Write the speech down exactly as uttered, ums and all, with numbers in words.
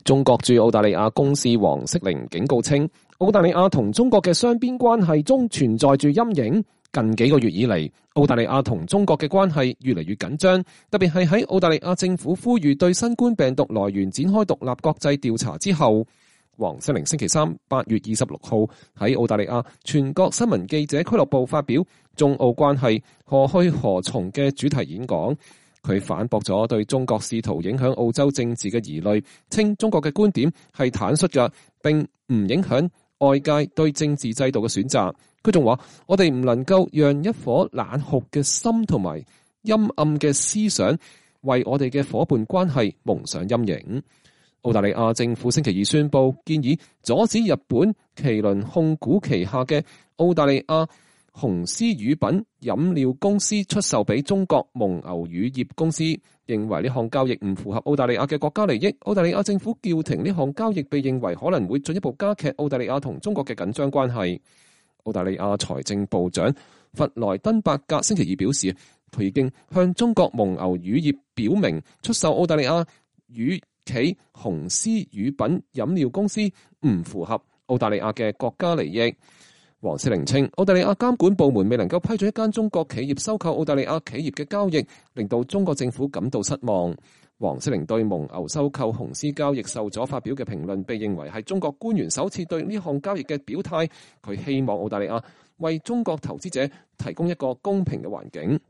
中國駐澳大利亞公使黃色玲警告稱，澳大利亞同中國嘅雙邊關係中存在住陰影。近幾個月以嚟，澳大利亞同中國嘅關係越嚟越緊張，特別係喺澳大利亞政府呼籲對新冠病毒來源展開獨立國際調查之後，黃色玲星期三八月二十六號喺澳大利亞全國新聞記者俱樂部發表中澳關係何去何從嘅主題演講。佢反駁咗對中國試圖影響澳洲政治嘅疑慮，稱中國嘅觀點係坦率嘅，並唔影響外界對政治制度嘅選擇。佢仲話：我哋唔能夠讓一顆冷酷嘅心同埋陰暗嘅思想為我哋嘅夥伴關係蒙上陰影。澳大利亞政府星期二宣布，建議阻止日本麒麟控股旗下嘅澳大利亞雄獅乳品飲料公司出售俾中國蒙牛乳業公司，認為呢項交易唔符合澳大利亞嘅國家利益。澳大利亞政府叫停呢項交易，被認為可能會進一步加劇澳大利亞同中國嘅緊張關係。澳大利亞財政部長弗萊登伯格星期二表示，佢已經向中國蒙牛乳業表明，出售澳大利亞乳企雄獅乳品飲料公司唔符合澳大利亞嘅國家利益。黃色玲稱，澳大利亞監管部門未能夠批准一間中國企業收購澳大利亞企業嘅交易，令到中國政府感到失望。黃色玲對蒙牛收購雄獅交易受阻發表嘅評論，被認為係中國官員首次對呢項交易嘅表態。佢希望澳大利亞為中國投資者提供一個公平嘅環境。